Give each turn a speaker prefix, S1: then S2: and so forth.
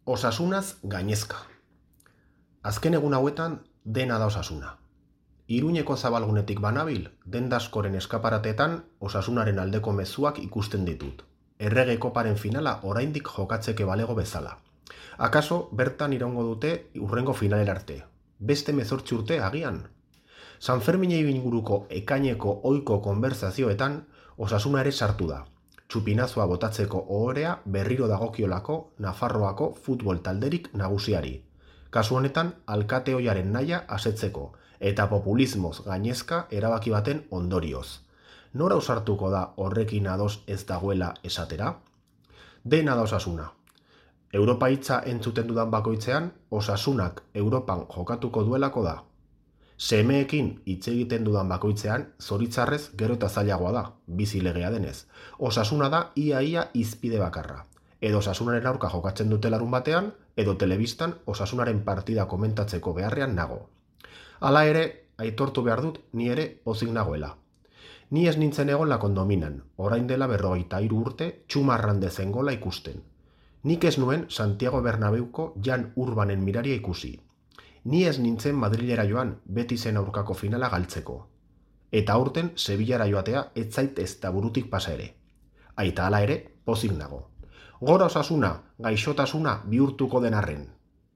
S1: Osasunaz gainezka. Azken egun hauetan dena da osasuna. Iruñeko zabalgunetik banabil, denda askoren eskaparatetan osasunaren aldeko mezuak ikusten ditut. Errege koparen finala oraindik jokatzeke balego bezala. Akaso bertan iraungo dute hurrengo finalera arte. Beste 18 urte agian. Sanferminei inguruko ekaineko ohiko konbertsazioetan osasuna ere sartu da. Txupinazoa botatzeko ohorea berriro dagokiolako Nafarroako futbol talderik nagusiari. Kasu honetan, alkate ohiaren nahia asetzeko eta populismoz gainezka erabaki baten ondorioz. Nora ausartuko da horrekin ados ez dagoela esatera? Dena da osasuna. Europa hitza entzuten dudan bakoitzean, osasunak Europan jokatuko duelako da. Semeekin hitz egiten dudan bakoitzean, zoritzarrez gero eta zailagoa da, bizi legea denez. Osasuna da ia izpide bakarra. Edo osasunaren aurka jokatzen dute larun batean, edo telebistan osasunaren partida komentatzeko beharrean nago. Hala ere, aitortu behar dut ni ere pozik nagoela. Ni ez nintzen egon la kondominan, orain dela 43 urte txumarran dezen gola ikusten. Nik ez nuen Santiago Bernabeuko Jan Urbanen miraria ikusi. Ni ez nintzen Madrilera joan Betisen aurkako finala galtzeko. Eta aurten Sevillara joatea ez zait ez da burutik pasa ere. Aita hala ere, pozik nago. Gora osasuna, gaixotasuna bihurtuko den arren.